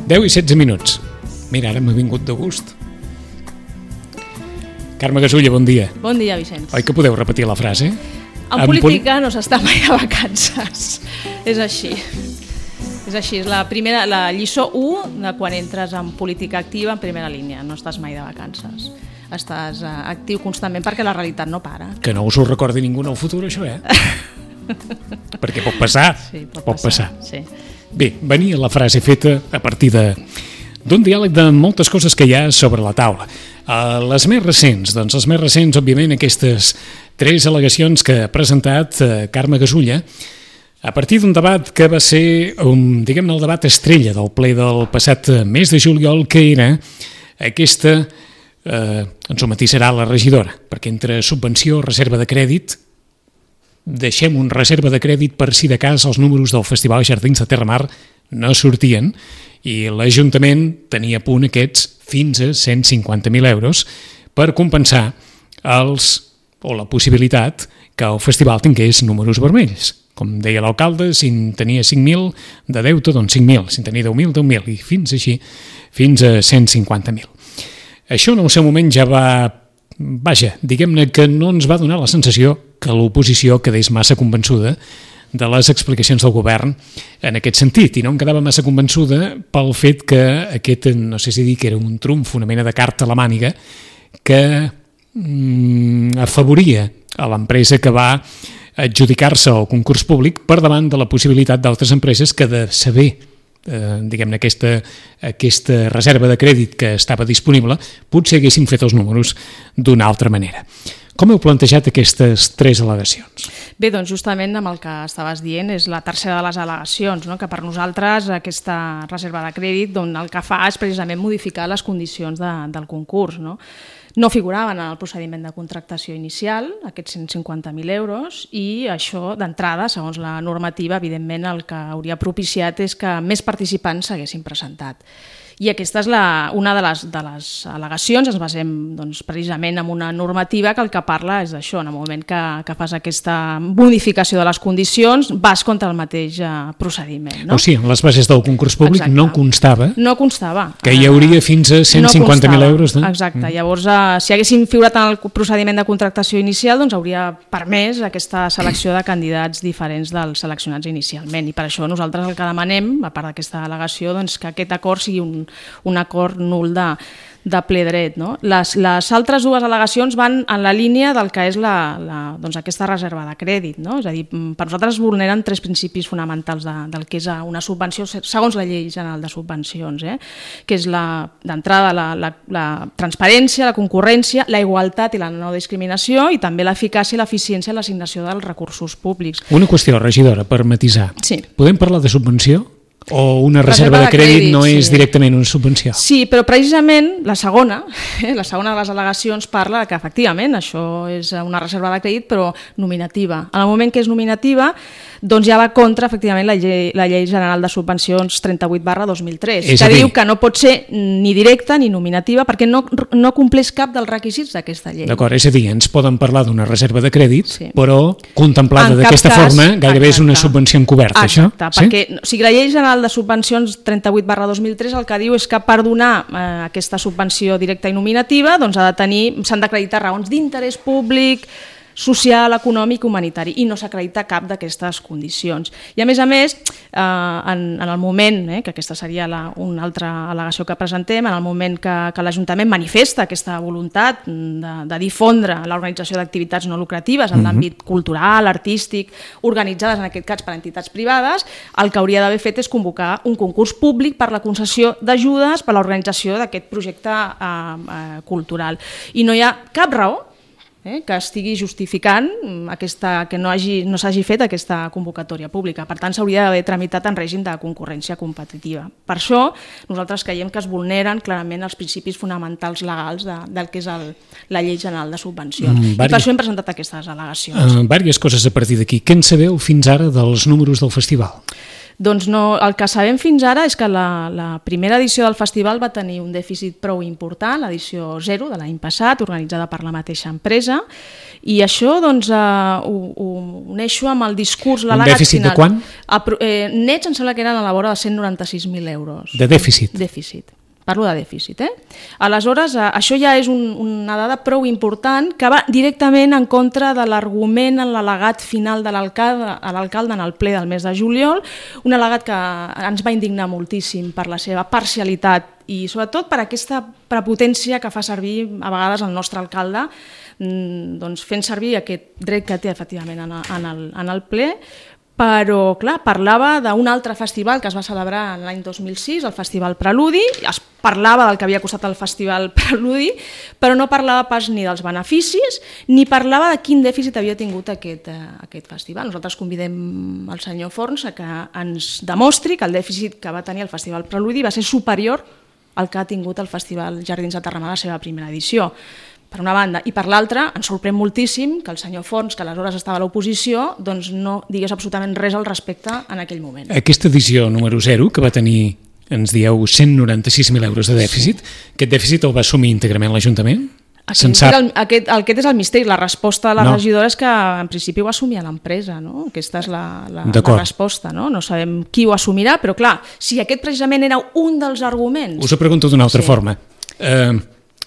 10 i 16 minuts. Mira, ara m'ha vingut de gust. Carme Gasulla, bon dia. Bon dia, Vicenç. Oi que podeu repetir la frase? En política no s'està mai de vacances. És així. És així, és la lliçó 1 de quan entres en política activa en primera línia. No estàs mai de vacances. Estàs actiu constantment perquè la realitat no para. Que no us ho recordi ningú en el futur, això, Perquè pot passar. Sí, pot passar. Sí. Bé, venia la frase feta a partir d'un diàleg de moltes coses que hi ha sobre la taula. Les més recents, òbviament, aquestes 3 al·legacions que ha presentat Carme Gasulla, a partir d'un debat que va ser, diguem-ne, el debat estrella del ple del passat mes de juliol, que era aquesta, ens ho matisarà la regidora, perquè entre subvenció, reserva de crèdit, deixem un reserva de crèdit per si de cas els números del Festival Jardins de Terramar no sortien i l'Ajuntament tenia a punt aquests fins a 150.000 euros per compensar la possibilitat que el festival tingués números vermells. Com deia l'alcalde, si en tenia 5.000 de deute, doncs 5.000, si en tenia 10.000, 10.000, i fins a 150.000. Això en el seu moment ja diguem-ne que no ens va donar la sensació que l'oposició quedés massa convençuda de les explicacions del govern en aquest sentit, i no em quedava massa convençuda pel fet que aquest, no sé si dir que era un trumf, una mena de carta a la màniga, que afavoria a l'empresa que va adjudicar-se al concurs públic per davant de la possibilitat d'altres empreses que de saber diguem-ne, aquesta reserva de crèdit que estava disponible, potser haguessin fet els números d'una altra manera. Com heu plantejat aquestes 3 al·legacions? Bé, doncs justament amb el que estaves dient és la tercera de les al·legacions, que per nosaltres aquesta reserva de crèdit el que fa és precisament modificar les condicions del concurs. No figuraven en el procediment de contractació inicial, aquests 150.000 euros, i això, d'entrada, segons la normativa, evidentment el que hauria propiciat és que més participants s'haguessin presentat. I aquesta és una de les al·legacions. Ens basem precisament en una normativa que el que parla és d'això. En el moment que fas aquesta modificació de les condicions, vas contra el mateix procediment. O sigui, en les bases del concurs públic no constava que hi hauria fins a 150.000 euros. Exacte. Llavors, si haguessin figurat en el procediment de contractació inicial, doncs hauria permès aquesta selecció de candidats diferents dels seleccionats inicialment. I per això nosaltres el que demanem, a part d'aquesta al·legació, que aquest acord sigui un acord nul de ple dret. Les altres 2 al·legacions van en la línia del que és aquesta reserva de crèdit. És a dir, per nosaltres vulneren 3 principis fonamentals del que és una subvenció segons la Llei General de Subvencions, que és d'entrada la transparència, la concurrència, la igualtat i la no discriminació, i també l'eficàcia i l'eficiència en l'assignació dels recursos públics. Una qüestió, regidora, per matisar. Sí. Podem parlar de subvenció? O una reserva de crèdit no és directament una subvenció? Sí, però precisament la segona de les al·legacions parla que efectivament això és una reserva de crèdit però nominativa. En el moment que és nominativa, doncs ja va contra efectivament la Llei General de Subvencions 38/2003, que diu que no pot ser ni directa ni nominativa perquè no compleix cap dels requisits d'aquesta llei. D'acord, és a dir, ens poden parlar d'una reserva de crèdit, però contemplada d'aquesta forma gairebé és una subvenció encoberta, això? Exacte, perquè la Llei General de Subvencions 38/2003 el que diu és que per donar aquesta subvenció directa i nominativa s'han d'acreditar raons d'interès públic, social, econòmic, humanitari, i no s'acredita cap d'aquestes condicions. I a més, en el moment, que aquesta seria una altra al·legació que presentem, en el moment que l'Ajuntament manifesta aquesta voluntat de difondre l'organització d'activitats no lucratives en l'àmbit cultural, artístic, organitzades en aquest cas per entitats privades, el que hauria d'haver fet és convocar un concurs públic per la concessió d'ajudes per a l'organització d'aquest projecte cultural. I no hi ha cap raó que estigui justificant que no s'hagi fet aquesta convocatòria pública. Per tant, s'hauria d'haver tramitat en règim de concurrència competitiva. Per això, nosaltres creiem que es vulneren clarament els principis fonamentals legals del que és la Llei General de Subvencions. I per això hem presentat aquestes al·legacions. Vàries coses a partir d'aquí. Què en sabeu fins ara dels números del festival? Doncs no, el que sabem fins ara és que la primera edició del festival va tenir un dèficit prou important, l'edició 0 de l'any passat, organitzada per la mateixa empresa, i això doncs, ho uneixo amb el discurs, l'al·legat final. Un dèficit de quant? Nets em sembla que eren a la vora de 196.000 euros. De dèficit? Dèficit. Parlo de dèficit, Aleshores, això ja és una dada prou important que va directament en contra de l'argument en l'al·legat final de l'alcalde en el ple del mes de juliol, un al·legat que ens va indignar moltíssim per la seva parcialitat i sobretot per aquesta prepotència que fa servir a vegades el nostre alcalde, doncs fent servir aquest dret que té efectivament en el ple, però, clar, parlava d'un altre festival que es va celebrar l'any 2006, el Festival Preludi, es parlava del que havia costat el Festival Preludi, però no parlava pas ni dels beneficis, ni parlava de quin dèficit havia tingut aquest festival. Nosaltres convidem el senyor Forns a que ens demostri que el dèficit que va tenir el Festival Preludi va ser superior al que ha tingut el Festival Jardins de Terramar a la seva primera edició. Per una banda, i per l'altra, ens sorprèn moltíssim que el senyor Forns, que aleshores estava a l'oposició, doncs no digués absolutament res al respecte en aquell moment. Aquesta edició número 0, que va tenir, ens dieu, 196.000 euros de dèficit, aquest dèficit el va assumir íntegrament l'Ajuntament? Aquest és el misteri. La resposta de la regidora és que en principi ho assumia l'empresa, no? Aquesta és la resposta, no? No sabem qui ho assumirà, però clar, si aquest precisament era un dels arguments... Us ho pregunto d'una altra forma.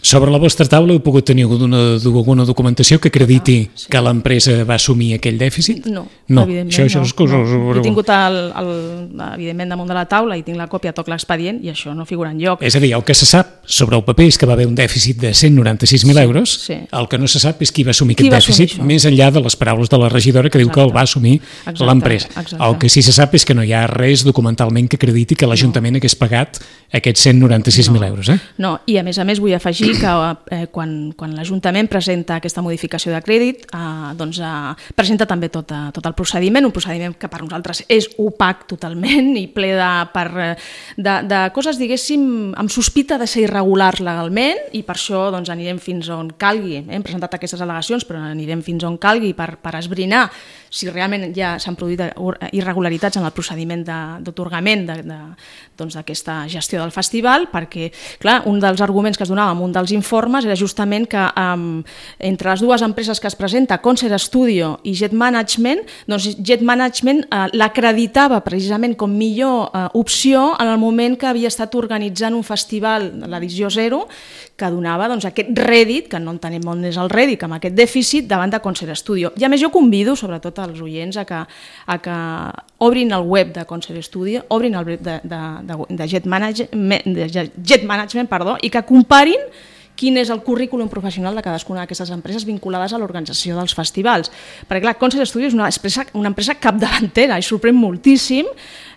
Sobre la vostra taula heu pogut tenir alguna documentació que acrediti que l'empresa va assumir aquell dèficit? No, evidentment no. He tingut, evidentment, damunt de la taula i tinc la còpia, toc l'expedient, i això no figura enlloc. És a dir, el que se sap sobre el paper és que va haver un dèficit de 196.000 euros, el que no se sap és qui va assumir aquest dèficit, més enllà de les paraules de la regidora que diu que el va assumir l'empresa. El que sí se sap és que no hi ha res documentalment que acrediti que l'Ajuntament hagués pagat aquests 196.000 euros. No, i a més vull afegir que quan l'Ajuntament presenta aquesta modificació de crèdit, doncs presenta també tot el procediment, un procediment que per nosaltres és opac totalment i ple de coses, diguéssim, amb sospita de ser irregulars legalment, i per això doncs, anirem fins on calgui. Hem presentat aquestes al·legacions, però anirem fins on calgui per esbrinar si realment ja s'han produït irregularitats en el procediment d'atorgament d'aquesta gestió del festival, perquè, clar, un dels arguments que es donava en un dels informes era justament que entre les dues empreses que es presenta, Concert Studio i Jet Management, doncs Jet Management l'acreditava precisament com millor opció en el moment que havia estat organitzant un festival, l'edició 0, que donava aquest rèdit, que no entenem on és el rèdit, amb aquest dèficit davant de Concert Studio. I a més jo convido sobretot als oients a que obrin el web de Concert Studio, obrin el web de Jet Management, i que comparin quin és el currículum professional de cadascuna d'aquestes empreses vinculades a l'organització dels festivals. Perquè, clar, Concert Studio és una empresa capdavantera i sorprèn moltíssim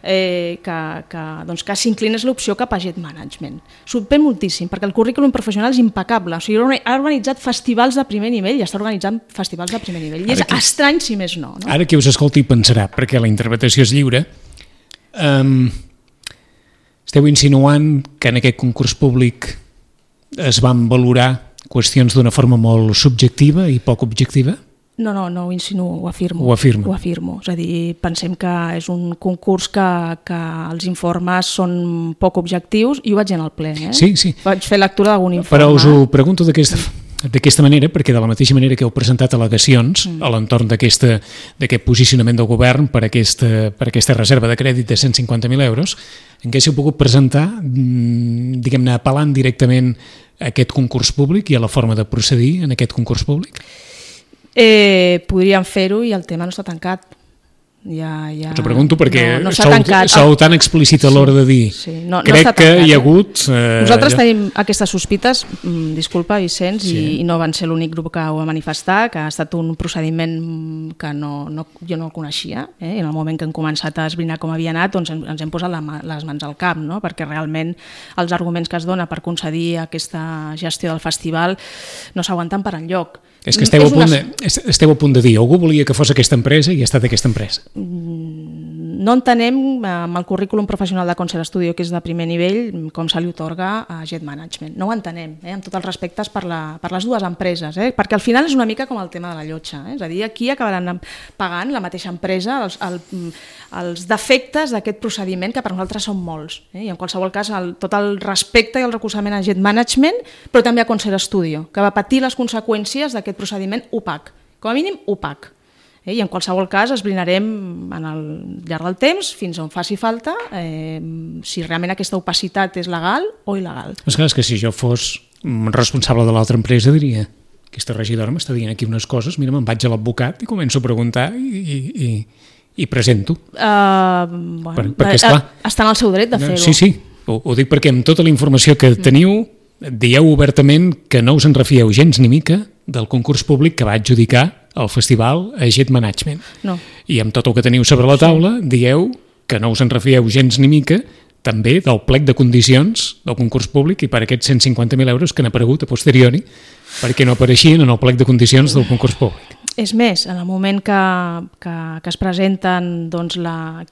que s'inclinés l'opció cap a Jet Management. Sorprèn moltíssim, perquè el currículum professional és impecable. O sigui, ha organitzat festivals de primer nivell i està organitzant festivals de primer nivell. I és estrany, si més no. Ara qui us escolti pensarà, perquè la interpretació és lliure, esteu insinuant que en aquest concurs públic es van valorar qüestions d'una forma molt subjectiva i poc objectiva? No ho insinuo, ho afirmo. Ho afirmo. Ho afirmo. És a dir, pensem que és un concurs que els informes són poc objectius, i ho vaig dir en el ple. Sí. Vaig fer lectura d'algun informe. Però us ho pregunto d'aquesta manera, perquè de la mateixa manera que heu presentat al·legacions a l'entorn d'aquest posicionament del govern per aquesta reserva de crèdit de 150.000 euros, en què s'heu pogut presentar, diguem-ne, apel·lant directament a aquest concurs públic i a la forma de procedir en aquest concurs públic? Podríem fer-ho i el tema no està tancat. Us ho pregunto perquè no sou tan explícit a l'hora de dir crec que hi ha hagut... Nosaltres tenim aquestes sospites, disculpa Vicenç, i no van ser l'únic grup que ho va manifestar, que ha estat un procediment que jo no el coneixia, i en el moment que hem començat a esbrinar com havia anat doncs ens hem posat les mans al cap, perquè realment els arguments que es dona per concedir aquesta gestió del festival no s'aguanten per enlloc. És que esteu a punt de dir, algú volia que fos aquesta empresa i ha estat aquesta empresa. no entenem amb el currículum professional de Concert Studio, que és de primer nivell, com se li otorga a Jet Management. No ho entenem, amb tots els respectes per les dues empreses, perquè al final és una mica com el tema de la llotja. És a dir, aquí acabaran pagant la mateixa empresa els defectes d'aquest procediment, que per nosaltres són molts. I en qualsevol cas, tot el respecte i el recolzament a Jet Management, però també a Concert Studio, que va patir les conseqüències d'aquest procediment opac, com a mínim opac. I en qualsevol cas esbrinarem al llarg del temps, fins on faci falta, si realment aquesta opacitat és legal o il·legal. És que si jo fos responsable de l'altra empresa diria: aquesta regidora m'està dient aquí unes coses, mira, me'n vaig a l'advocat i començo a preguntar i presento. Perquè, esclar, està en el seu dret de fer-ho. Sí, ho dic perquè amb tota la informació que teniu dieu obertament que no us en refieu gens ni mica del concurs públic que va adjudicar el festival a Jet Management. No. I amb tot el que teniu sobre la taula dieu que no us en refieu gens ni mica també del plec de condicions del concurs públic i per aquests 150.000 euros que han aparegut a posteriori perquè no apareixien en el plec de condicions del concurs públic. És més, en el moment que es presenten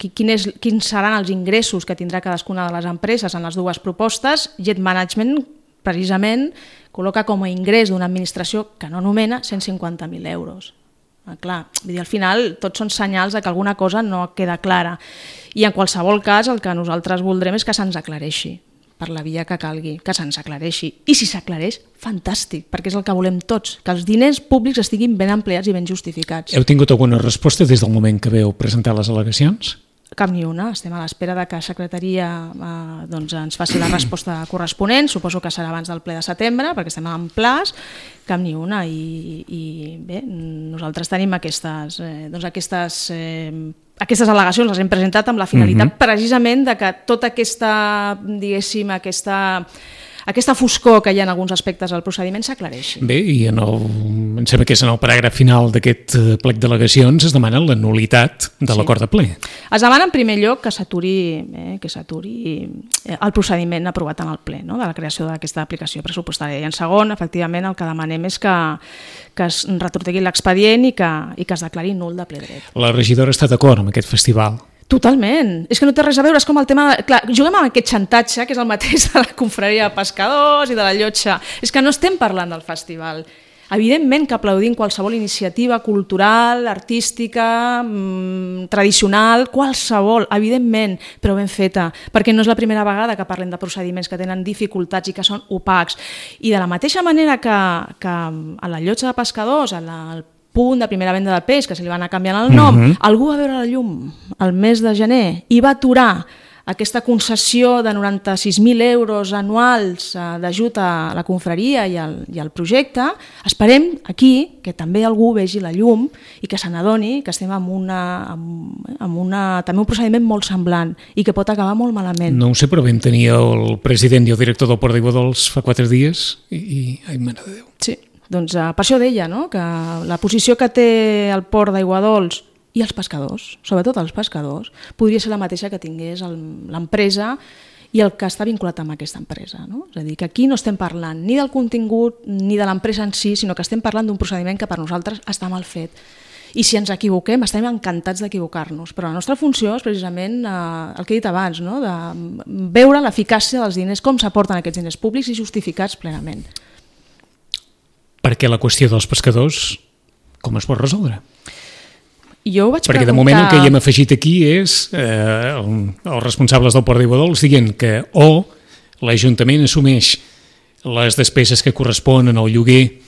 quins seran els ingressos que tindrà cadascuna de les empreses en les dues propostes, Jet Management precisament col·loca com a ingrés d'una administració que no nomena 150.000 euros. Clar, al final tots són senyals de que alguna cosa no queda clara i en qualsevol cas el que nosaltres voldrem és que se'ns aclareixi per la via que calgui, que se'ns aclareixi. I si s'aclareix, fantàstic, perquè és el que volem tots, que els diners públics estiguin ben empleats i ben justificats. Heu tingut alguna resposta des del moment que veu presentar les al·legacions? Cap ni una, estem a l'espera de que la secretaria ens faci la resposta corresponent, suposo que serà abans del ple de setembre, perquè estem en plaç, cap ni una, i bé, nosaltres tenim aquestes al·legacions, les hem presentat amb la finalitat precisament de que tota aquesta, diguéssim, aquesta foscor que hi ha en alguns aspectes del procediment s'aclareixi. Bé, i em sembla que és en el paràgraf final d'aquest plec d'al·legacions es demana la nulitat de l'acord de ple. Es demana en primer lloc que s'aturi el procediment aprovat en el ple, de la creació d'aquesta aplicació pressupostària. I en segon, efectivament, el que demanem és que es retortegui l'expedient i que es declari nul de ple dret. La regidora està d'acord amb aquest festival? Totalment. És que no té res a veure, és com el tema... Clar, juguem amb aquest xantatge, que és el mateix de la confraria de pescadors i de la llotja. És que no estem parlant del festival. Evidentment que aplaudim qualsevol iniciativa cultural, artística, tradicional, qualsevol, evidentment, però ben feta, perquè no és la primera vegada que parlem de procediments que tenen dificultats i que són opacs. I de la mateixa manera que a la llotja de pescadors, al punt de primera venda de peix, que se li va anar canviant el nom, algú va veure la llum el mes de gener i va aturar aquesta concessió de 96.000 euros anuals d'ajut a la confraria i al projecte. Esperem aquí que també algú vegi la llum i que se n'adoni que estem també un procediment molt semblant i que pot acabar molt malament. No ho sé, però vam tenir el president i el director del Port d'Aiguadols fa 4 dies i ai, mare de Déu. Sí. Doncs per això deia, que la posició que té el Port d'Aiguadols i els pescadors, sobretot els pescadors, podria ser la mateixa que tingués l'empresa i el que està vinculat amb aquesta empresa. És a dir, que aquí no estem parlant ni del contingut ni de l'empresa en si, sinó que estem parlant d'un procediment que per nosaltres està mal fet. I si ens equivoquem, estem encantats d'equivocar-nos, però la nostra funció és precisament el que he dit abans, de veure l'eficàcia dels diners, com s'aporten aquests diners públics i justificats plenament. Perquè la qüestió dels pescadors, com es pot resoldre? Jo ho vaig perquè de moment el que hi hem afegit aquí és els responsables del Port d'Aiguadols dient que o l'Ajuntament assumeix les despeses que corresponen al lloguer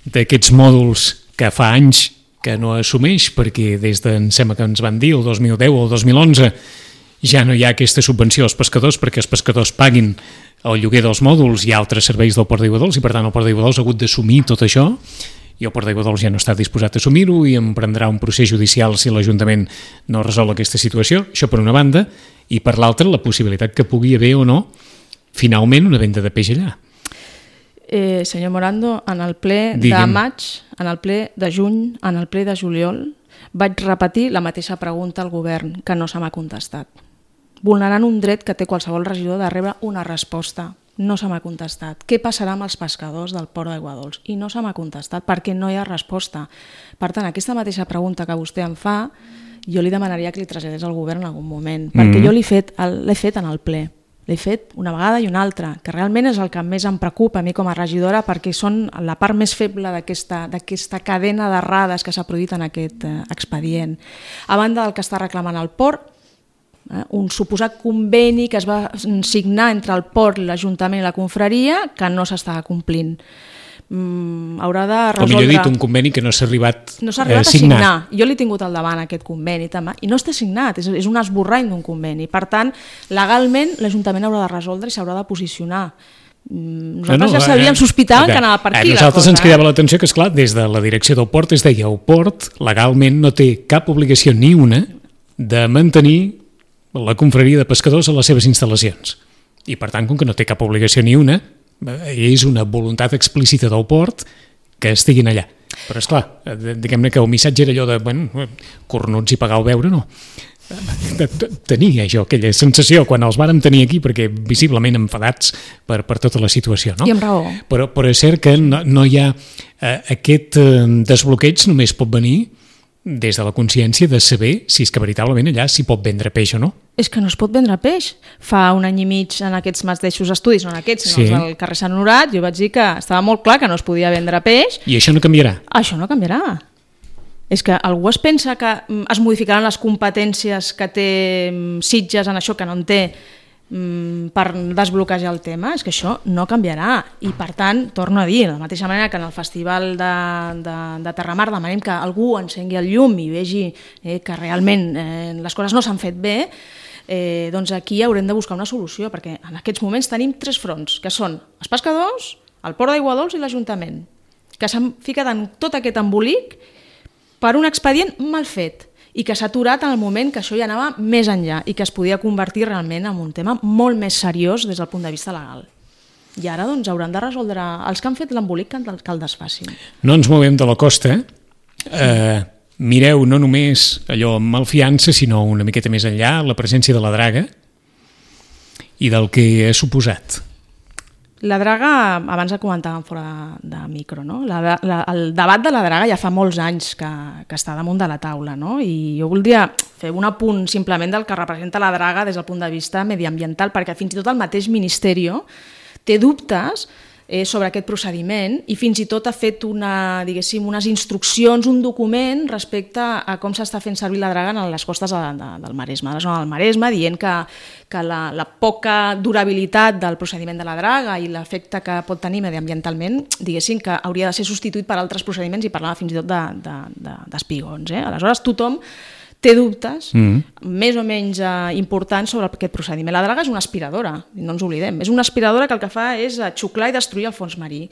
d'aquests mòduls que fa anys que no assumeix, perquè des de, em sembla que ens van dir, el 2010 o el 2011 ja no hi ha aquesta subvenció als pescadors perquè els pescadors paguin el lloguer dels mòduls i altres serveis del Port d'Aiguadols i per tant el Port d'Aiguadols ha hagut d'assumir tot això i el Port d'Aiguadols ja no està disposat a assumir-ho i emprendrà un procés judicial si l'Ajuntament no resol aquesta situació, això per una banda, i per l'altra la possibilitat que pugui haver o no finalment una venda de peix allà. Senyor Morando, en el ple de maig, en el ple de juny, en el ple de juliol vaig repetir la mateixa pregunta al govern que no se m'ha contestat. Vulnerant un dret que té qualsevol regidor de rebre una resposta. No se m'ha contestat. Què passarà amb els pescadors del Port d'Aiguadols? I no se m'ha contestat perquè no hi ha resposta. Per tant, aquesta mateixa pregunta que vostè em fa, jo li demanaria que li traslladés al govern en algun moment, perquè jo l'he fet en el ple. L'he fet una vegada i una altra, que realment és el que més em preocupa a mi com a regidora, perquè són la part més feble d'aquesta cadena d'errades que s'ha produït en aquest expedient. A banda del que està reclamant el port, un suposat conveni que es va signar entre el port, l'Ajuntament i la confraria, que no s'està complint. Haurà de resoldre... O millor dit, un conveni que no s'ha arribat a signar. Jo l'he tingut al davant, aquest conveni, també, i no està signat, és un esborrany d'un conveni. Per tant, legalment, l'Ajuntament haurà de resoldre i s'haurà de posicionar. Nosaltres ja sabíem, sospitàvem que anava per aquí. Nosaltres ens cridava l'atenció que, esclar, des de la direcció del port es deia el port legalment no té cap obligació ni una de mantenir la confraria de pescadors a les seves instal·lacions. I, per tant, com que no té cap obligació ni una, és una voluntat explícita del port que estiguin allà. Però, esclar, diguem-ne que el missatge era allò de, bueno, cornuts i pagar el beure, no. Tenia jo aquella sensació quan els vàrem tenir aquí, perquè visiblement enfadats per tota la situació, no? I amb raó. Però és cert que no hi ha... Aquest desbloqueig només pot venir des de la consciència de saber si és que veritablement allà s'hi pot vendre peix o no. És que no es pot vendre peix. Fa un any i mig en aquests mateixos estudis, no en aquests, sinó els del carrer Sant Honorat, jo vaig dir que estava molt clar que no es podia vendre peix. I això no canviarà? Això no canviarà. És que algú es pensa que es modificaran les competències que té Sitges en això que no en té per desbloquejar el tema, és que això no canviarà i per tant, torno a dir, de la mateixa manera que en el Festival de Terramar demanem que algú encengui el llum i vegi que realment les coses no s'han fet bé, doncs aquí haurem de buscar una solució, perquè en aquests moments tenim 3 fronts, que són els pescadors, el Port d'Aigua Dols i l'Ajuntament, que s'han ficat en tot aquest embolic per un expedient mal fet i que s'ha aturat en el moment que això ja anava més enllà i que es podia convertir realment en un tema molt més seriós des del punt de vista legal. I ara doncs hauran de resoldre els que han fet l'embolic que el desfacin. No ens movem de la costa. Mireu no només allò amb malfiança, sinó una miqueta més enllà, la presència de la draga i del que ha suposat. La draga, abans ho comentàvem fora de micro, no? El debat de la draga ja fa molts anys que està damunt de la taula, no? I jo voldria fer un apunt simplement del que representa la draga des del punt de vista mediambiental, perquè fins i tot el mateix Ministeri té dubtes sobre aquest procediment i fins i tot ha fet unes instruccions, un document respecte a com s'està fent servir la draga en les costes del Maresme, de la zona del Maresme, dient que la poca durabilitat del procediment de la draga i l'efecte que pot tenir mediambientalment, diguéssim que hauria de ser substituït per altres procediments i parlava fins i tot d'espigons. Aleshores tothom té dubtes més o menys importants sobre aquest procediment. La draga és una aspiradora, no ens oblidem. És una aspiradora que el que fa és xuclar i destruir el fons marí.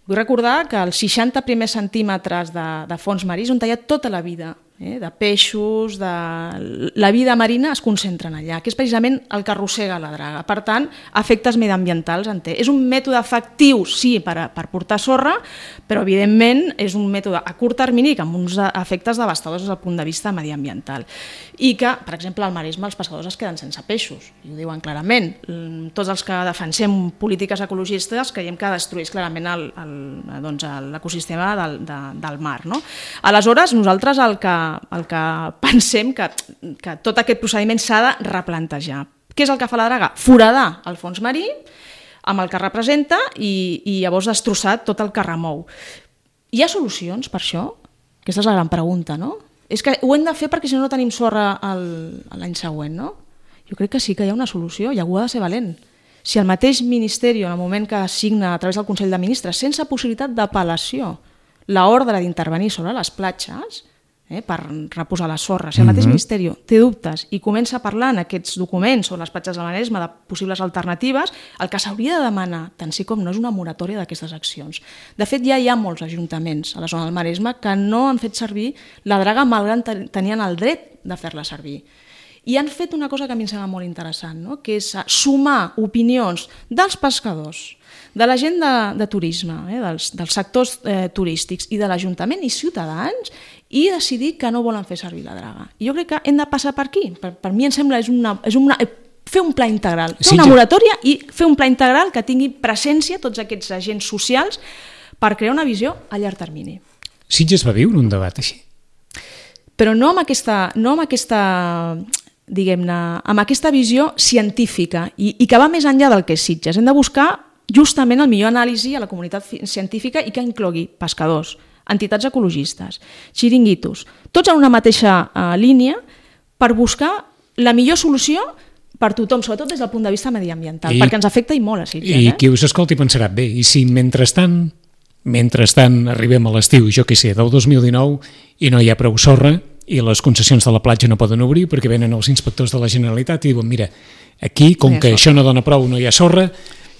Vull recordar que els 60 primers centímetres de fons marí és on hi ha tota la vida, de peixos, la vida marina es concentren allà, que és precisament el que arrossega la draga. Per tant, efectes mediambientals en té. És un mètode efectiu, sí, per portar sorra, però evidentment és un mètode a curt termini amb uns efectes devastadors des del punt de vista mediambiental. I que, per exemple, al Maresme els pescadors es queden sense peixos, i ho diuen clarament. Tots els que defensem polítiques ecologistes creiem que destrueix clarament l'ecosistema del mar. Aleshores, nosaltres el que pensem que tot aquest procediment s'ha de replantejar. Què és el que fa la draga? Foradar el fons marí amb el que representa i llavors destrossar tot el que remou. Hi ha solucions per això? Aquesta és la gran pregunta, no? És que ho hem de fer perquè si no tenim sorra l'any següent, no? Jo crec que sí que hi ha una solució i algú ha de ser valent. Si el mateix Ministeri, en el moment que assigna a través del Consell de Ministres, sense possibilitat d'apel·lació, l'ordre d'intervenir sobre les platges per reposar la sorra, si el mateix Ministeri té dubtes i comença a parlar en aquests documents sobre les platges del Maresme de possibles alternatives, el que s'hauria de demanar, tant sí com no, és una moratòria d'aquestes accions. De fet, ja hi ha molts ajuntaments a la zona del Maresme que no han fet servir la draga malgrat tenien el dret de fer-la servir. I han fet una cosa que a mi em sembla molt interessant, no? Que és sumar opinions dels pescadors, de la gent de turisme, dels sectors turístics i de l'Ajuntament i ciutadans i decidir que no volen fer servir la draga. I jo crec que hem de passar per aquí. Per mi em sembla fer un pla integral, fer una moratòria i fer un pla integral que tingui presència tots aquests agents socials per crear una visió a llarg termini. Sitges va viure un debat així? però no amb aquesta diguem-ne, amb aquesta visió científica i que va més enllà del que és Sitges. Hem de buscar justament el millor anàlisi a la comunitat científica i que inclogui pescadors, entitats ecologistes, xiringuitos, tots en una mateixa línia per buscar la millor solució per tothom, sobretot des del punt de vista mediambiental, perquè ens afecta i molt a Sitges. I qui us escolti pensarà, bé, i si mentrestant arribem a l'estiu, jo què sé, del 2019 i no hi ha prou sorra i les concessions de la platja no poden obrir perquè venen els inspectors de la Generalitat i diuen, mira, aquí, com que això no dona prou, no hi ha sorra,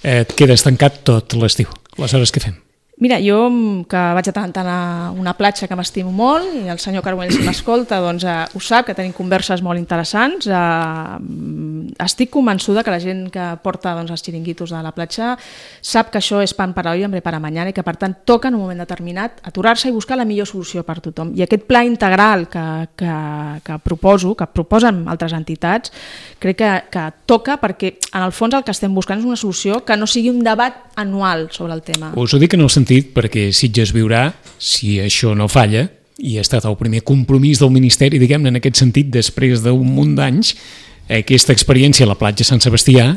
et quedes tancat tot l'estiu. Aleshores, què fem? Mira, jo que vaig a tant a una platja que m'estimo molt i el senyor Carbonell, si m'escolta, doncs ho sap, que tenim converses molt interessants. Estic convençuda que la gent que porta els xiringuitos de la platja sap que això és pan para hoy, hambre para mañana i que per tant toca en un moment determinat aturar-se i buscar la millor solució per tothom. I aquest pla integral que proposen altres entitats, crec que toca perquè en el fons el que estem buscant és una solució que no sigui un debat anual sobre el tema. Us ho dic en el sentit perquè Sitges viurà, si això no falla, i ha estat el primer compromís del Ministeri, diguem-ne, en aquest sentit, després d'un munt d'anys, aquesta experiència a la platja Sant Sebastià,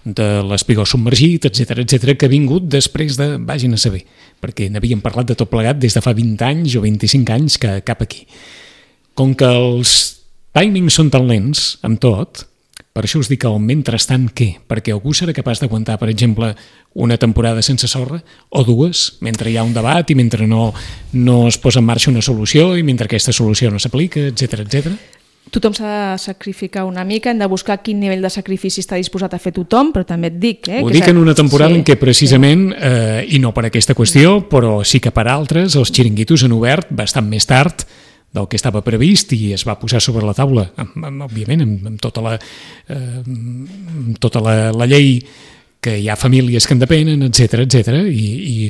de l'espigó submergit, etc, que ha vingut després de, vagin a saber, perquè n'havíem parlat de tot plegat des de fa 20 anys o 25 anys que cap aquí. Com que els timings són tan lents amb tot, per això us dic el mentrestant què? Perquè algú serà capaç d'aguantar, per exemple, una temporada sense sorra o dues, mentre hi ha un debat i mentre no es posa en marxa una solució i mentre aquesta solució no s'aplica, etc. Tothom s'ha de sacrificar una mica, hem de buscar quin nivell de sacrifici està disposat a fer tothom, però també et dic... Ho dic en una temporada en què precisament, i no per aquesta qüestió, però sí que per altres, els xiringuitos han obert bastant més tard del que estava previst i es va posar sobre la taula, òbviament, amb tota la llei que hi ha famílies que en depenen, etc, i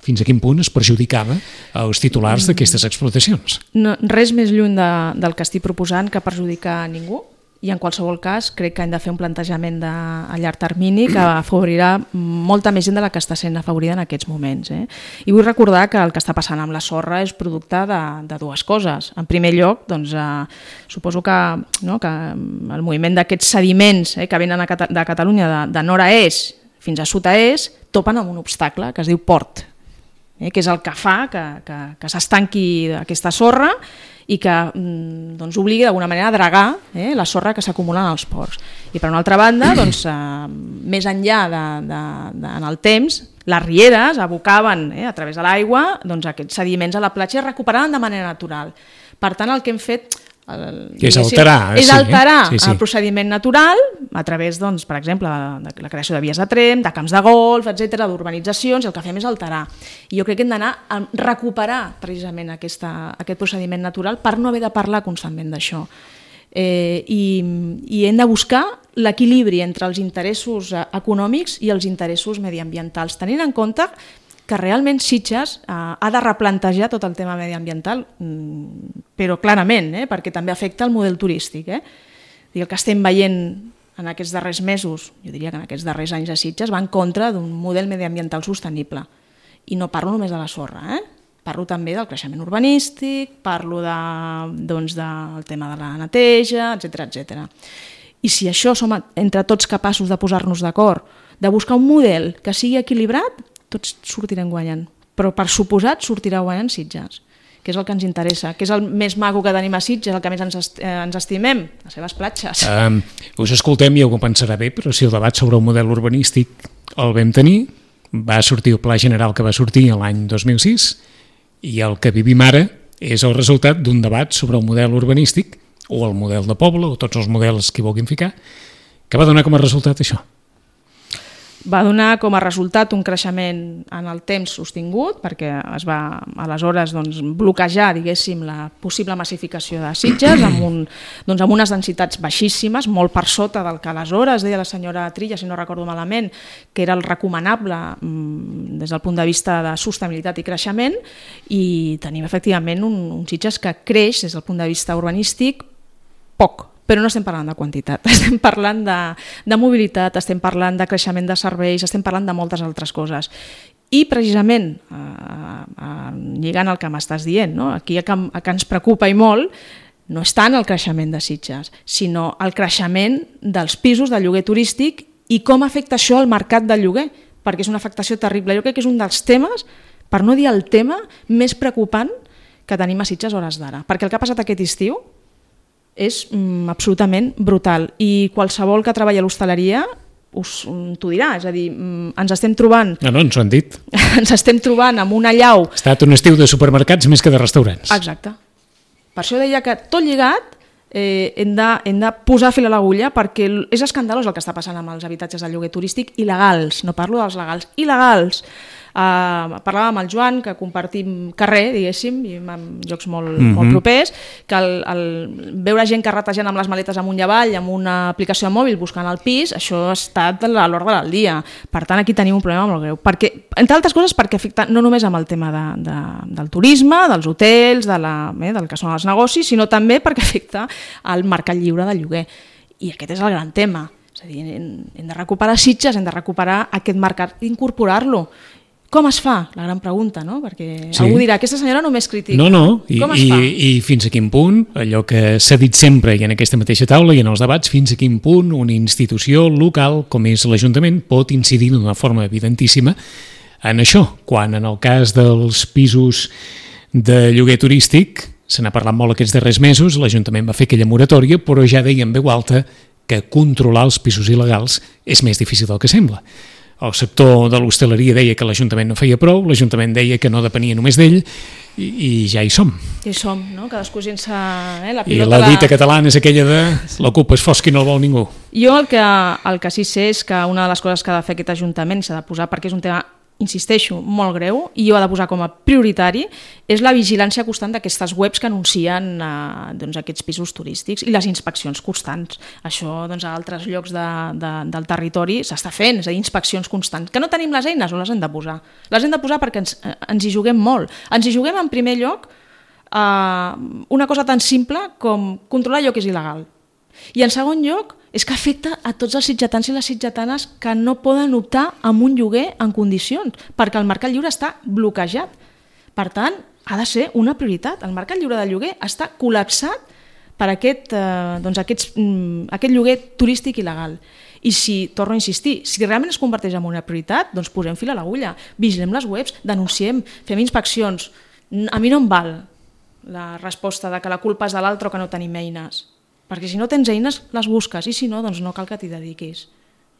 fins a quin punt es perjudicava els titulars d'aquestes explotacions. No, res més lluny del que estic proposant que perjudicar a ningú, i en qualsevol cas crec que hem de fer un plantejament a llarg termini que afavorirà molta més gent de la que està sent afavorida en aquests moments. I vull recordar que el que està passant amb la sorra és producte de dues coses. En primer lloc, doncs, suposo que el moviment d'aquests sediments que venen de Catalunya de nord a est fins a sud a est topen amb un obstacle que es diu port, que és el que fa que s'estanqui aquesta sorra i que obligui d'alguna manera a dragar la sorra que s'acumula en els ports. I per una altra banda, més enllà en el temps, les rieres abocaven a través de l'aigua aquests sediments a la platja i es recuperaven de manera natural. Per tant, el que hem fet és alterar el procediment natural a través, per exemple, de la creació de vies de trem, de camps de golf, etc, d'urbanitzacions, i el que fem és alterar. I jo crec que hem d'anar a recuperar precisament aquest procediment natural per no haver de parlar constantment d'això. I hem de buscar l'equilibri entre els interessos econòmics i els interessos mediambientals, tenint en compte que realment Sitges ha de replantejar tot el tema mediambiental, però clarament, perquè també afecta el model turístic. El que estem veient en aquests darrers mesos, jo diria que en aquests darrers anys a Sitges, va en contra d'un model mediambiental sostenible. I no parlo només de la sorra, parlo també del creixement urbanístic, parlo del tema de la neteja, etc. I si això som entre tots capaços de posar-nos d'acord, de buscar un model que sigui equilibrat, tots sortirem guanyant, però per suposat sortirà guanyant Sitges, que és el que ens interessa, que és el més maco que tenim a Sitges, el que més ens estimem, les seves platges. Us escoltem i algú pensarà bé, però si el debat sobre el model urbanístic el vam tenir, va sortir el Pla General que va sortir l'any 2006 i el que vivim ara és el resultat d'un debat sobre el model urbanístic o el model de poble o tots els models que hi vulguin ficar, que va donar com a resultat això. Va donar com a resultat un creixement en el temps sostingut, perquè es va aleshores bloquejar, diguéssim, la possible massificació de Sitges amb unes densitats baixíssimes, molt per sota del que aleshores deia la senyora Trilla, si no recordo malament, que era el recomanable des del punt de vista de sostenibilitat i creixement, i tenim efectivament un Sitges que creix des del punt de vista urbanístic poc. Però no estem parlant de quantitat, estem parlant de mobilitat, estem parlant de creixement de serveis, estem parlant de moltes altres coses. I precisament, lligant el que m'estàs dient, no? Aquí el que ens preocupa i molt no és tant el creixement de Sitges, sinó el creixement dels pisos de lloguer turístic i com afecta això al mercat del lloguer, perquè és una afectació terrible. Jo crec que és un dels temes, per no dir el tema, més preocupant que tenim a Sitges a hores d'ara. Perquè el que ha passat aquest estiu és absolutament brutal. I qualsevol que treballa a l'hostaleria t'ho dirà. És a dir, ens estem trobant... No, ens ho han dit. Ens estem trobant amb una allau... Ha estat un estiu de supermercats més que de restaurants. Exacte. Per això deia que tot lligat hem de posar fil a l'agulla, perquè és escandalós el que està passant amb els habitatges de lloguer turístic il·legals, no parlo dels legals, il·legals. Parlava amb el Joan, que compartim carrer, diguéssim, i en llocs molt propers, que veure gent que ratejant amb les maletes amunt i avall, amb una aplicació de mòbil buscant el pis, això ha estat a l'ordre del dia. Per tant, aquí tenim un problema molt greu. Perquè, entre altres coses, perquè afecta no només amb el tema del turisme, dels hotels, del que són els negocis, sinó també perquè afecta al mercat lliure del lloguer. I aquest és el gran tema. És a dir, hem de recuperar Sitges, hem de recuperar aquest mercat, incorporar-lo. Com es fa? La gran pregunta, no? Perquè algú dirà, aquesta senyora només critica. No, i fins a quin punt, allò que s'ha dit sempre i en aquesta mateixa taula i en els debats, fins a quin punt una institució local com és l'Ajuntament pot incidir d'una forma evidentíssima en això, quan en el cas dels pisos de lloguer turístic, se n'ha parlat molt aquests darrers mesos, l'Ajuntament va fer aquella moratòria, però ja deia en veu alta que controlar els pisos il·legals és més difícil del que sembla. El sector de l'hostaleria deia que l'Ajuntament no feia prou, l'Ajuntament deia que no depenia només d'ell, i ja hi som. Ja hi som, no? Cadascú sense... la pilota. I la dita catalana és aquella de la culpa és fosca i no el vol ningú. Jo el que sí sé és que una de les coses que ha de fer aquest Ajuntament s'ha de posar, perquè és un tema, insisteixo, molt greu, i jo ha de posar com a prioritari, és la vigilància constant d'aquestes webs que anuncien aquests pisos turístics i les inspeccions constants. Això a altres llocs del territori s'està fent, és a dir, inspeccions constants. Que no tenim les eines, o les hem de posar? Les hem de posar perquè ens hi juguem molt. Ens hi juguem en primer lloc una cosa tan simple com controlar allò que és il·legal. I en segon lloc, és que afecta a tots els sitgetans i les sitgetanes que no poden optar a un lloguer en condicions, perquè el mercat lliure està bloquejat. Per tant, ha de ser una prioritat. El mercat lliure de lloguer està col·lapsat per aquest lloguer turístic il·legal. I torno a insistir, si realment es converteix en una prioritat, doncs posem fil a l'agulla, vigilem les webs, denunciem, fem inspeccions. A mi no em val la resposta de que la culpa és de l'altre o que no tenim eines. Perquè si no tens eines, les busques, i si no, doncs no cal que t'hi dediquis.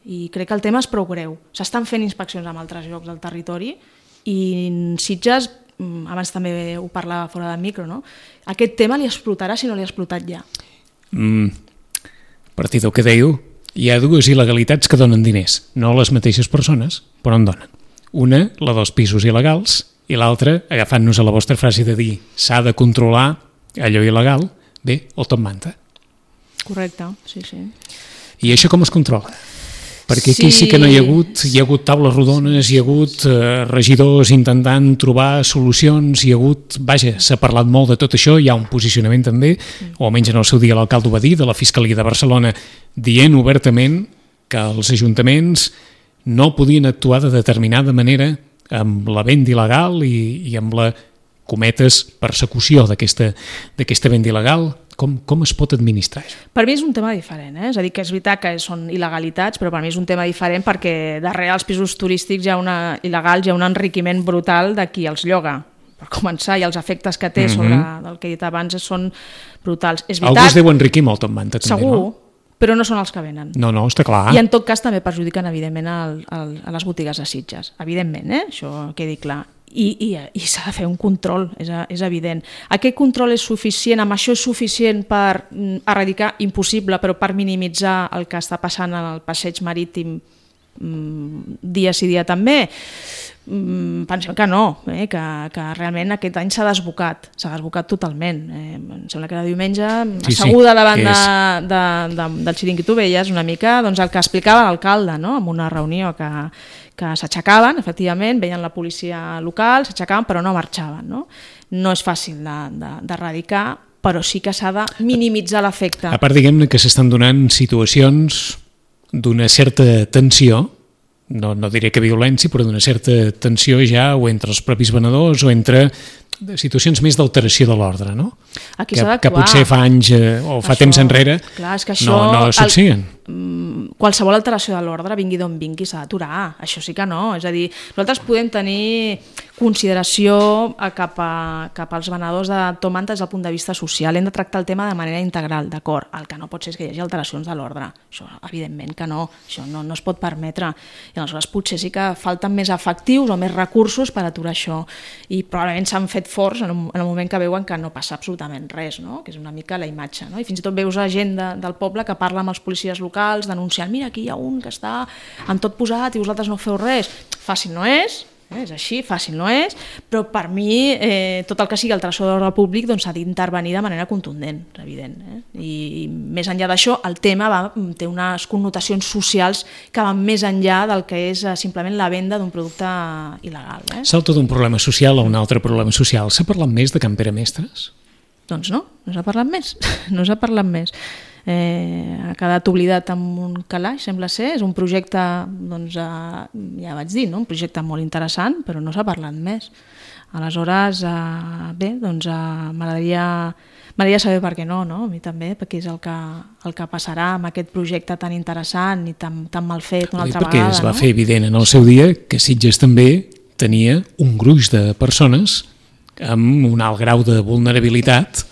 I crec que el tema és prou greu. S'estan fent inspeccions en altres llocs del territori i Sitges, abans també ho parlava fora de micro, no? Aquest tema li explotarà si no li ha explotat ja. A partir del que dèieu, hi ha dues il·legalitats que donen diners, no les mateixes persones, però en donen. Una, la dels pisos il·legals, i l'altra, agafant-nos a la vostra frase de dir s'ha de controlar allò il·legal, bé, el top manta. Correcte, sí. I això com es controla? Perquè aquí sí que no hi ha hagut taules rodones, hi ha hagut regidors intentant trobar solucions, s'ha parlat molt de tot això, hi ha un posicionament també, o almenys en el seu dia l'alcalde ho va dir, de la Fiscalia de Barcelona, dient obertament que els ajuntaments no podien actuar de determinada manera amb la venda il·legal i amb la, cometes, persecució d'aquesta venda il·legal. Com es pot administrar això? Per mi és un tema diferent, és a dir, que és veritat que són il·legalitats, però per mi és un tema diferent perquè darrere els pisos turístics il·legals hi ha un enriquiment brutal de qui els lloga, per començar, i els efectes que té sobre el que he dit abans són brutals. És veritat, algú es deu enriquir molt amb manta, també, segur, no? Però no són els que venen. No, està clar. I en tot cas també perjudiquen, evidentment, a les botigues de Sitges. Evidentment, això quedi clar. I s'ha de fer un control, és evident. Aquest control és suficient, amb això és suficient per erradicar, impossible, però per minimitzar el que està passant en el passeig marítim dia sí dia també? Pensem que no, que realment aquest any s'ha desbocat totalment. Em sembla que era diumenge, asseguda davant del xiringuito veies una mica el que explicava l'alcalde, en una reunió que s'aixecaven, efectivament, veien la policia local, s'aixecaven però no marxaven. No és fàcil d'erradicar, però sí que s'ha de minimitzar l'efecte. A part, diguem-ne que s'estan donant situacions d'una certa tensió no diré que violència, però d'una certa tensió ja o entre els propis venedors o entre situacions més d'alteració de l'ordre, no? Aquí s'ha d'actuar. Que potser fa anys o fa temps enrere clar, és que això, no succeïen. Qualsevol alteració de l'ordre, vingui d'on vingui, s'ha d'aturar. Això sí que no. És a dir, nosaltres podem tenir consideració cap als venedors de tòmata des del punt de vista social. Hem de tractar el tema de manera integral, d'acord. El que no pot ser és que hi hagi alteracions de l'ordre. Això, evidentment que no. Això no es pot permetre. I aleshores potser sí que falten més efectius o més recursos per aturar això. I probablement s'han fet forts en el moment que veuen que no passa absolutament res, no? Que és una mica la imatge. No? I fins i tot veus gent del poble que parla amb els policies locals denunciant, mira, aquí hi ha un que està amb tot posat i vosaltres no feu res. Fàcil no és així, fàcil no és, però per mi tot el que sigui alteració de l'ordre públic s'ha d'intervenir de manera contundent, és evident. I més enllà d'això, el tema té unes connotacions socials que van més enllà del que és simplement la venda d'un producte il·legal. Salta d'un problema social a un altre problema social. S'ha parlat més de Can Pere Mestres? Doncs no s'ha parlat més. No s'ha parlat més. Ha quedat oblidat amb un calaix, sembla ser. És un projecte, ja vaig dir, un projecte molt interessant, però no s'ha parlat més. Aleshores, bé, m'agradaria saber per què no, a mi també, perquè és el que passarà amb aquest projecte tan interessant i tan mal fet una altra vegada. Perquè es va fer evident en el seu dia que Sitges també tenia un gruix de persones amb un alt grau de vulnerabilitat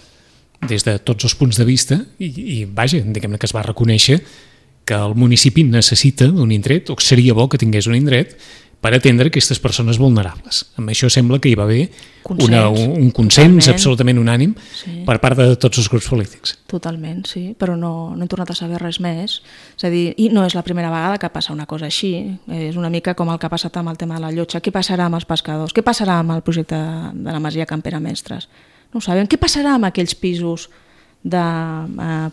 des de tots els punts de vista i vaja, diguem-ne que es va reconèixer que el municipi necessita d'un indret, o que seria bo que tingués un indret per atendre aquestes persones vulnerables. Amb això sembla que hi va haver un consens absolutament unànim per part de tots els grups polítics. Totalment, sí, però no hem tornat a saber res més. És a dir, i no és la primera vegada que passa una cosa així. És una mica com el que ha passat amb el tema de la llotja. Què passarà amb els pescadors? Què passarà amb el projecte de la Masia Can Pere Mestres? No ho sabem. Què passarà amb aquells pisos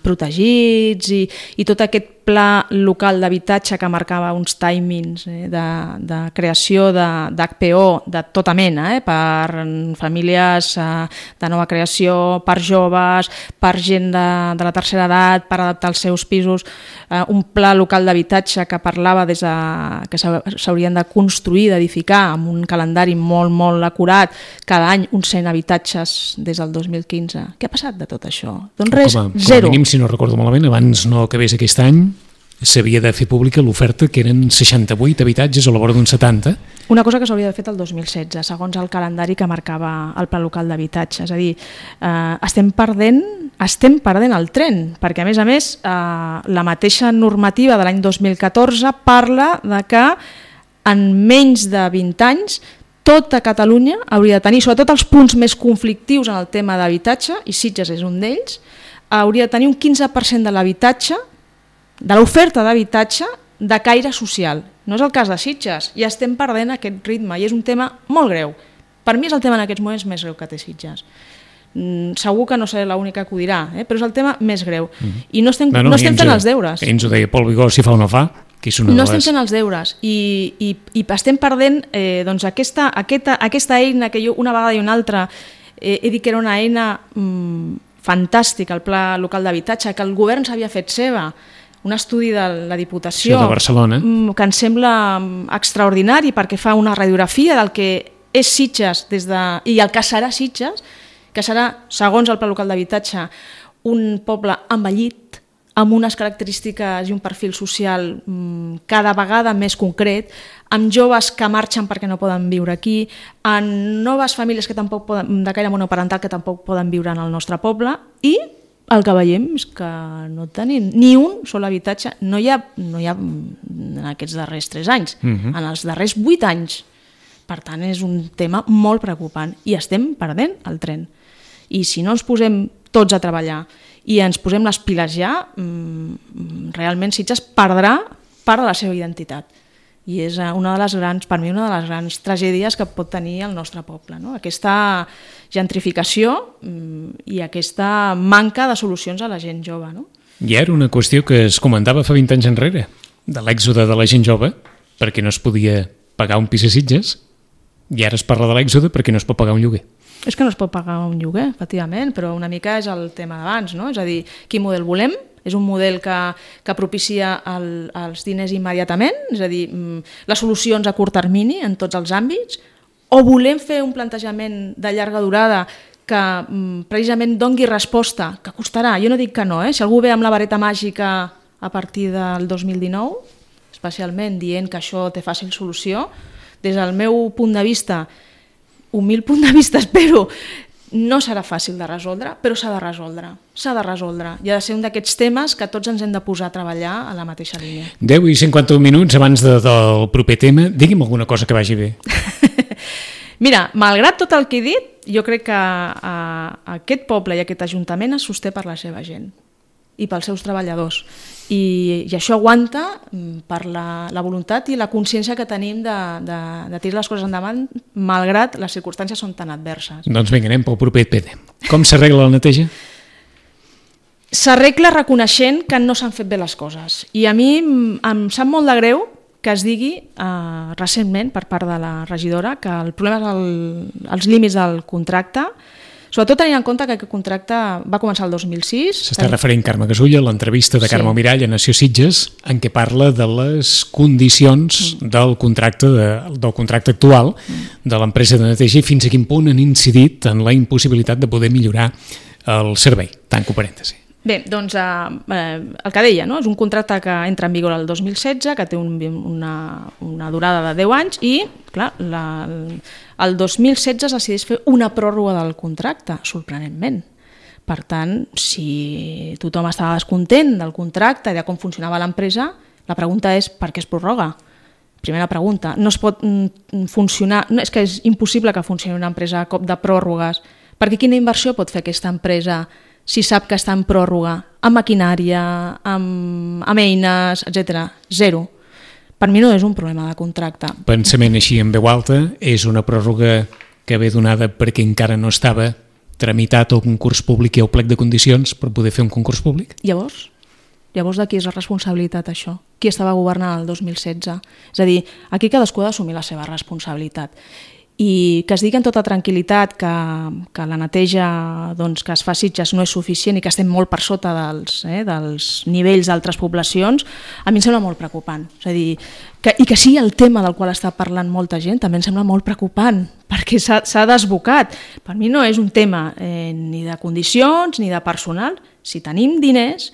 protegits i tot aquest pla local d'habitatge que marcava uns timings de creació d'HPO de tota mena, per famílies de nova creació, per joves, per gent de la tercera edat, per adaptar els seus pisos, un pla local d'habitatge que parlava que s'haurien de construir, d'edificar amb un calendari molt, molt acurat, cada any uns 100 habitatges des del 2015. Què ha passat de tot això? Doncs res, zero. Com a mínim, si no recordo malament, abans no acabés aquest any, s'havia de fer pública l'oferta que eren 68 habitatges a la vora d'un 70. Una cosa que s'hauria de fer el 2016, segons el calendari que marcava el Pla Local d'Habitatge. És a dir, estem perdent el tren, perquè a més, la mateixa normativa de l'any 2014 parla de que en menys de 20 anys tota Catalunya hauria de tenir, sobretot els punts més conflictius en el tema d'habitatge, i Sitges és un d'ells, hauria de tenir un 15% de l'habitatge, de l'oferta d'habitatge de caire social. No és el cas de Sitges, i estem perdent aquest ritme, i és un tema molt greu. Per mi és el tema en aquests moments més greu que té Sitges. Segur que no seré l'única que ho dirà, però és el tema més greu. I no estem fent els deures. Ens ho deia Pol Vigor, si fa o no fa, que és una de les... No estem fent els deures, i estem perdent aquesta eina que jo una vegada i una altra he dit que era una eina fantàstica, el Pla Local d'Habitatge, que el govern s'havia fet seva, un estudi de la Diputació de Barcelona, que ens sembla extraordinari perquè fa una radiografia del que és Sitges i el que serà Sitges, que serà, segons el Pla Local d'Habitatge, un poble envellit, amb unes característiques i un perfil social cada vegada més concret, amb joves que marxen perquè no poden viure aquí, amb noves famílies que tampoc poden, de caire monoparental que tampoc poden viure en el nostre poble, i el que veiem és que no tenim ni un sol habitatge, no hi ha en aquests darrers 3 anys, en els darrers 8 anys. Per tant, és un tema molt preocupant i estem perdent el tren. I si no ens posem tots a treballar i ens posem les piles ja, realment Sitges perdrà part de la seva identitat. I és per mi una de les grans tragèdies que pot tenir el nostre poble, no? Aquesta gentrificació i aquesta manca de solucions a la gent jove, no? I era una qüestió que es comentava fa 20 anys enrere, de l'èxode de la gent jove, perquè no es podia pagar un pis a Sitges, i ara es parla de l'èxode perquè no es pot pagar un lloguer. És que no es pot pagar un lloguer, efectivament, però una mica és el tema d'abans, no? És a dir, quin model volem, És un model que propicia els diners immediatament, és a dir, les solucions a curt termini en tots els àmbits, o volem fer un plantejament de llarga durada que precisament dongui resposta, que costarà, jo no dic que no, si algú ve amb la vareta màgica a partir del 2019, especialment dient que això té fàcil solució, des del meu punt de vista, humil punt de vista, espero, no serà fàcil de resoldre, però s'ha de resoldre. I ha de ser un d'aquests temes que tots ens hem de posar a treballar a la mateixa línia. 10 i 51 minuts abans del proper tema. Digui'm alguna cosa que vagi bé. Mira, malgrat tot el que he dit, jo crec que aquest poble i aquest ajuntament es sosté per la seva gent i pels seus treballadors. I això aguanta per la voluntat i la consciència que tenim de tirar les coses endavant, malgrat les circumstàncies són tan adverses. Doncs vinga, anem pel proper PD. Com s'arregla la neteja? S'arregla reconeixent que no s'han fet bé les coses. I a mi em sap molt de greu que es digui recentment per part de la regidora que el problema és els límits del contracte, sobretot tenint en compte que aquest contracte va començar el 2006. S'està referint Carme Gasulla a l'entrevista de Carme Mirall a Nació Sitges, en què parla de les condicions del contracte actual de l'empresa de neteja i fins a quin punt han incidit en la impossibilitat de poder millorar el servei. Tanco parèntesi. Bé, doncs el que deia, no? És un contracte que entra en vigor el 2016, que té una durada de 10 anys i, clar, el 2016 es decideix fer una pròrroga del contracte, sorprenentment. Per tant, si tothom estava descontent del contracte i de com funcionava l'empresa, la pregunta és per què es prorroga? Primera pregunta. No es pot funcionar, és que és impossible que funcioni una empresa a cop de pròrrogues, perquè quina inversió pot fer aquesta empresa si sap que està en pròrroga, amb maquinària, amb eines, etc. Zero. Per mi no és un problema de contracte. Pensament així en veu alta, és una pròrroga que ve donada perquè encara no estava tramitat el concurs públic i el plec de condicions per poder fer un concurs públic? Llavors de qui és la responsabilitat això? Qui estava governant el 2016? És a dir, aquí cadascú ha d'assumir la seva responsabilitat. I que es digui amb tota tranquil·litat que la neteja que es fa a Sitges no és suficient i que estem molt per sota dels nivells d'altres poblacions, a mi em sembla molt preocupant. És a dir, i que sigui el tema del qual està parlant molta gent també em sembla molt preocupant, perquè s'ha desbocat. Per mi no és un tema ni de condicions ni de personal. Si tenim diners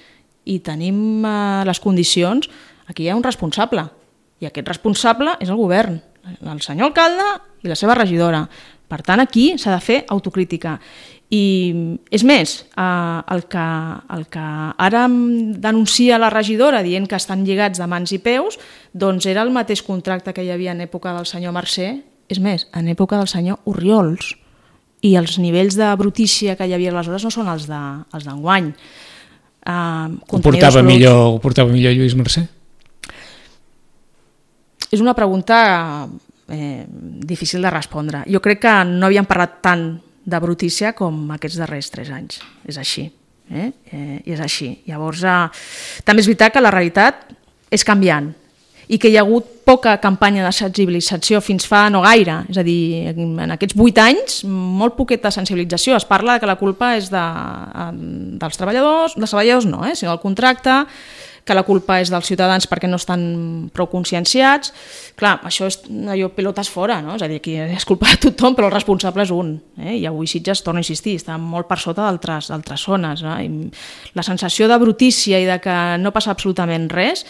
i tenim les condicions, aquí hi ha un responsable, i aquest responsable és el govern, el senyor alcalde i la seva regidora. Per tant, aquí s'ha de fer autocrítica. I és més, el que ara denuncia la regidora dient que estan lligats de mans i peus, doncs era el mateix contracte que hi havia en època del senyor Mercè, és més, en època del senyor Orriols. I els nivells de brutícia que hi havia aleshores no són els d'enguany. Ho portava millor Lluís Mercè? És una pregunta difícil de respondre. Jo crec que no havíem parlat tant de brutícia com aquests darrers 3 anys. És així. I és així. Llavors, també és veritat que la realitat és canviant i que hi ha hagut poca campanya de sensibilització fins fa no gaire. És a dir, en aquests 8 anys, molt poqueta sensibilització. Es parla que la culpa és dels treballadors no, sinó del contracte, que la culpa és dels ciutadans perquè no estan prou conscienciats. Clar, això és allò pilotes fora, no? És a dir, aquí és culpa de tothom, però el responsable és un. I avui Sitges, torno a insistir, està molt per sota d'altres zones. No? I la sensació de brutícia i de que no passa absolutament res,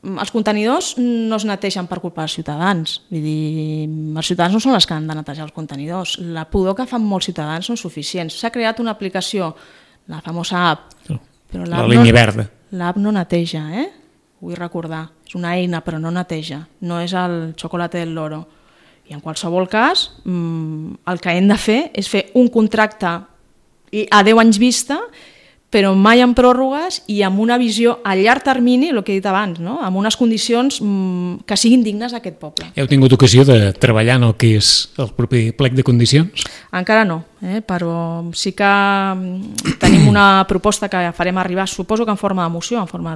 els contenidors no es netegen per culpa dels ciutadans. Vull dir, els ciutadans no són els que han de netejar els contenidors. La pudor que fan molts ciutadans no és suficient. S'ha creat una aplicació, la famosa app, però la línia verda. L'app no neteja, vull recordar. És una eina, però no neteja. No és el xocolate del loro. I en qualsevol cas, el que hem de fer és fer un contracte a 10 anys vista, però mai amb pròrrogues i amb una visió a llarg termini, el que he dit abans, no? Amb unes condicions que siguin dignes d'aquest poble. Heu tingut ocasió de treballar en el que és el propi plec de condicions? Encara no, però sí que tenim una proposta que farem arribar, suposo que en forma de moció, en forma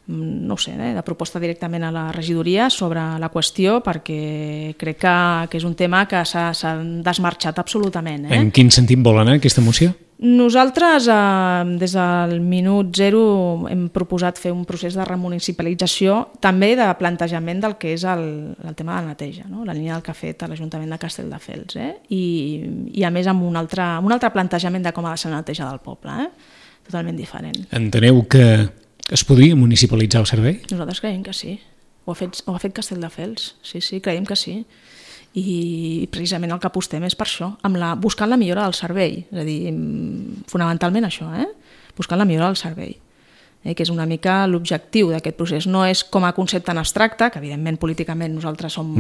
de proposta directament a la regidoria sobre la qüestió, perquè crec que és un tema que s'ha desmarxat absolutament. En quin sentit vol anar aquesta moció? Nosaltres, des del minut zero, hem proposat fer un procés de remunicipalització, també de plantejament del que és el tema de la neteja, no? La línia del que ha fet l'Ajuntament de Castelldefels, I a més amb un altre plantejament de com ha de ser la neteja del poble, totalment diferent. Enteneu que es podria municipalitzar el servei? Nosaltres creiem que sí. Ho ha fet Castelldefels, sí, creiem que sí. I precisament el que apostem és per això, buscant la millora del servei, és a dir, fonamentalment això, buscant la millora del servei, que és una mica l'objectiu d'aquest procés. No és com a concepte en abstracte, que evidentment políticament nosaltres som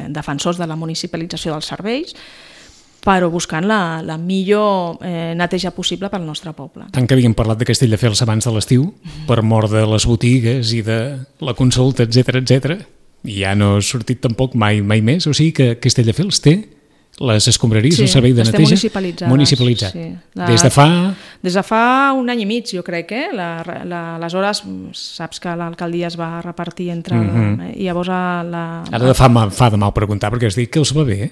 defensors de la municipalització dels serveis, però buscant la millor neteja possible pel nostre poble. Tant que havíem parlat de Castelldefels abans de l'estiu, per mort de les botigues i de la consulta, etc, i ja no ha sortit tampoc mai més, o sigui que Castelldefels té les escombraries, el servei de neteja municipalitzat. Sí. Des de fa un any i mig, jo crec, aleshores saps que l'alcaldia es va repartir entre... I llavors Ara fa de mal preguntar, perquè has dit que els va bé,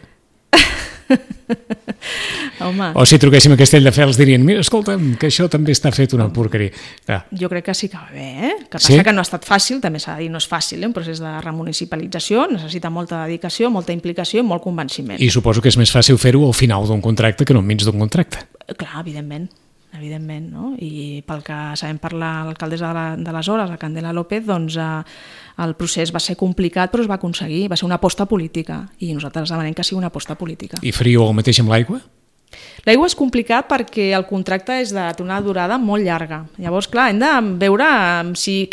Home. O si truquéssim a Castelldefels dirien, mira, escolta'm, que això també està fet una porqueria. Jo crec que sí que va bé, Que passa que no ha estat fàcil, també s'ha de dir, no és fàcil, un procés de remunicipalització, necessita molta dedicació, molta implicació i molt convenciment. I suposo que és més fàcil fer-ho al final d'un contracte que no enmig d'un contracte. Clar, evidentment, no? I pel que sabem per l'alcaldessa d'aleshores, la Candela López, doncs el procés va ser complicat però es va aconseguir, va ser una aposta política i nosaltres demanem que sigui una aposta política. I faríeu el mateix amb l'aigua? L'aigua és complicat perquè el contracte és d'una durada molt llarga. Llavors, clar, hem de veure si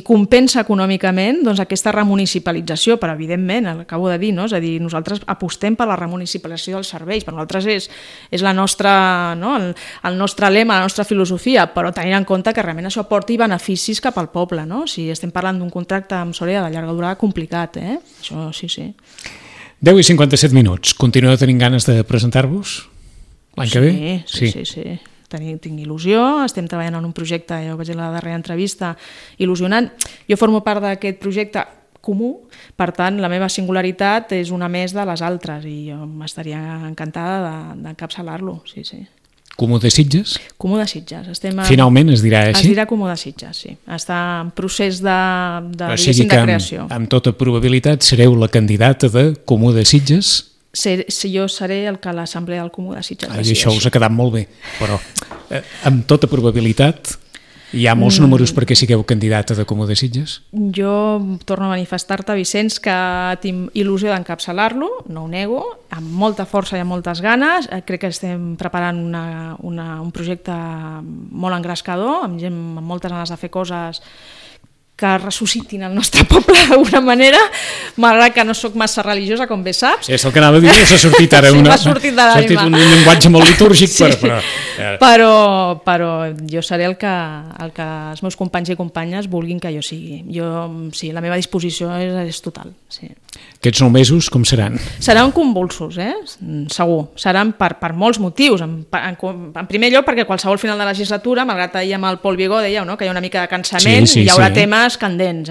compensa econòmicament doncs, aquesta remunicipalització, però evidentment, acabo de dir, no? És a dir, nosaltres apostem per la remunicipalització dels serveis, per nosaltres és la nostra, no? el nostre lema, la nostra filosofia, però tenint en compte que realment això aporti beneficis cap al poble, no? Si estem parlant d'un contracte amb Sorea de llarga durada, complicat, Això sí. 10 i 57 minuts. Continueu tenint ganes de presentar-vos l'any que ve? Sí. Tinc il·lusió, estem treballant en un projecte, ja ho vaig dir a la darrera entrevista, il·lusionant. Jo formo part d'aquest projecte comú, per tant, la meva singularitat és una més de les altres i jo m'estaria encantada d'encapçalar-lo, sí. Comú de Sitges? Comú de Sitges. Finalment es dirà així? Es dirà Comú de Sitges, sí. Està en procés de creació. Amb tota probabilitat sereu la candidata de Comú de Sitges? Jo seré el que l'Assemblea del Comú de Sitges decideixi. Això us ha quedat molt bé, però amb tota probabilitat hi ha molts números perquè sigueu candidata de Comú de Sitges? Jo torno a manifestar-te, Vicenç, que tinc il·lusió d'encapçalar-lo, no ho nego, amb molta força i amb moltes ganes. Crec que estem preparant un projecte molt engrescador, amb moltes ganes de fer coses que ressuscitin el nostre poble d'alguna manera, malgrat que no sóc massa religiosa, com bé saps. És el que anava a dir, s'ha sortit ara m'ha sortit un llenguatge molt litúrgic, però jo seré el que els meus companys i companyes vulguin que jo sigui. Sí, la meva disposició és total. Sí. Aquests 9 mesos com seran? Seran convulsos, segur. Seran per molts motius. En primer lloc, perquè qualsevol final de legislatura, malgrat ahir amb el Pol Vigó dèieu que hi ha una mica de cansament, hi haurà temes candents,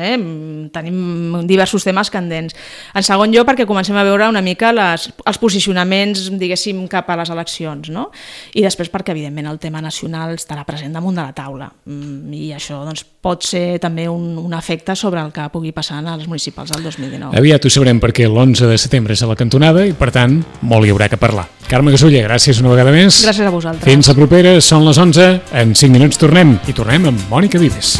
tenim diversos temes candents. En segon lloc, perquè comencem a veure una mica els posicionaments, diguéssim, cap a les eleccions, no? I després perquè, evidentment, el tema nacional estarà present damunt de la taula i això doncs, pot ser també un efecte sobre el que pugui passar a les municipals del 2019. Aviat ho sabrem perquè l'11 de setembre és a la cantonada i, per tant, molt hi haurà que parlar. Carme Gasuller, gràcies una vegada més. Gràcies a vosaltres. Fins la propera, són les 11, en 5 minuts tornem, i tornem amb Mònica Vives.